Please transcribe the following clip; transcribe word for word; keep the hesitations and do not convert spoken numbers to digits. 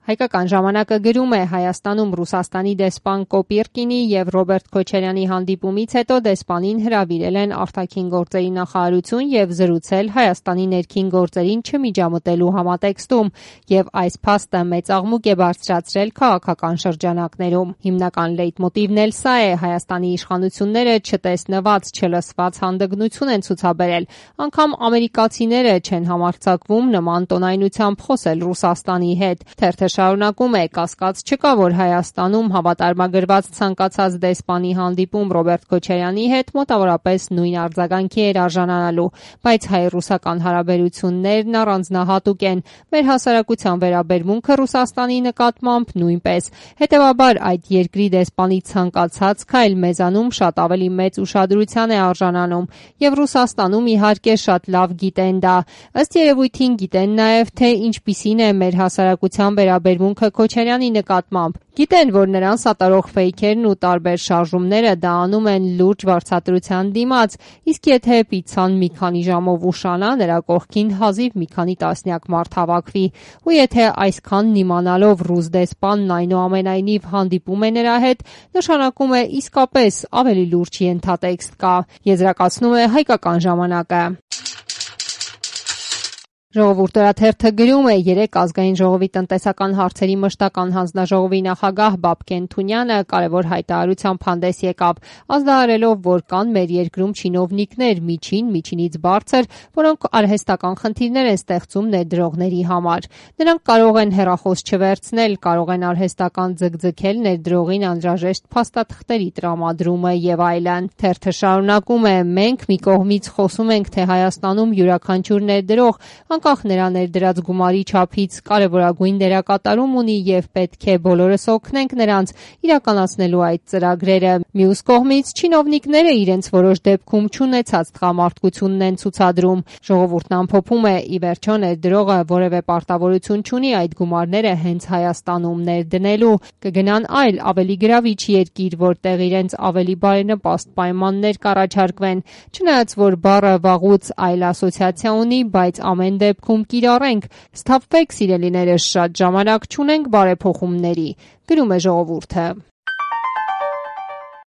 Հայկական ժամանակը գրում է Հայաստանում Ռուսաստանի դեսպան Կոպիրկինի և Ռոբերտ Քոչարյանի հանդիպումից հետո դեսպանին հրավիրել են արտաքին գործերի նախարարություն և զրուցել Հայաստանի ներքին գործերին չմիջամտելու համատեքստում, և այս փաստը մեծ աղմուկ է բարձրացրել քաղաքական շրջանակներում։ Հիմնական լեյտմոտիվն էլ սա է՝ Հայաստանի իշխանությունները չտեսնված, չլսված հանդգնություն են ցուցաբերել, անգամ ամերիկացիները չեն համարձակվում նման տոնայնությամբ խոսել Ռուսաստանի հետ։ Թերթը շարունակում է. կասկած չկա, որ Հայաստանում հավատարմագրված ցանկացած դեսպանի հանդիպում Ռոբերտ Քոչարյանի հետ մոտավորապես նույն արձագանքի էր արժանանալու, բայց հայ-ռուսական հարաբերություններն առանձնահատուկ են, մեր հասարակության վերաբերմունքը Ռուսաստանի նկատմամբ նույնպես։ Հետևաբար այդ երկրի դեսպանի ցանկացած քայլ մեզանում շատ ավելի մեծ ուշադրության է արժանանում, և Ռուսաստանում իհարկե շատ լավ գիտեն դա։ Ըստ երևույթին գիտեն նաև, թե ինչպիսին է մեր հասարակության վերաբերմունքը Քոչարյանի նկատմամբ։ Գիտեն, որ նրան սատարող ֆեյքերն ու տարբեր շարժումները դա անում են լուրջ վարձատրության դիմաց, իսկ եթե պիցցան մի քանի ժամով ուշանա, նրա կողքին հազիվ մի քանի տասնյակ մարդ հավաքվի, ու եթե այսքանն իմանալով ռուս դեսպանն այնուամենայնիվ հանդիպում է նրա հետ, նշանակում է իսկապես ավելի լուրջ ենթատեքստ կա, եզրակացնում է Հայկական ժամանակը։ Ժողովուրդ օրաթերթը գրում է. երեկ Ազգային ժողովի տնտեսական հարցերի մշտական հանձնաժողովի նախագահ Բաբկեն Թունյանը կարևոր հայտարարությամբ հանդես եկավ, ազդարարելով, որ կան մեր երկրում չինովնիկներ, միջին, միջինից բարձր, որոնք արհեստական խնդիրներ են ստեղծում ներդրողների համար։ Նրանք կարող են հեռախոս չվերցնել, կարող են արհեստական ձգձգել ներդրողին անհրաժեշտ փաստաթղթերի տրամադրումը եւ այլն։ Թերթը շարունակում է. մենք մի կողմից խոսում ենք, թե Հայաստանում յուրաքանչյուր ներդրող անկախ նրա ներդրած գումարի չափից կարևորագույն դերակատարում ունի և պետք է բոլորս օգնենք նրանց իրականացնելու այդ ծրագրերը։ Մյուս կողմից չինովնիկները իրենց որոշ դեպքում չունեցած տղամարդկությունն են ցուցադրում։ Ժողովուրդն ամփոփում է. ի վերջո ներդրողը որևէ պարտավորություն չունի այդ գումարները հենց Հայաստանում ներդնելու, կգնան այլ ավելի գրավիչ երկիր, որտեղ իրենց ավելի բարենպաստ պայմաններ կառաջարկվեն։ Չնայած որ բառը վաղուց այլ ասոցիացիա ունի, բայց ամեն դեպքում կիրառենք։ Սթափվեք, սիրելիներս, շատ ժամանակ չունենք բարեփոխումների, գրում է ժողովուրդը։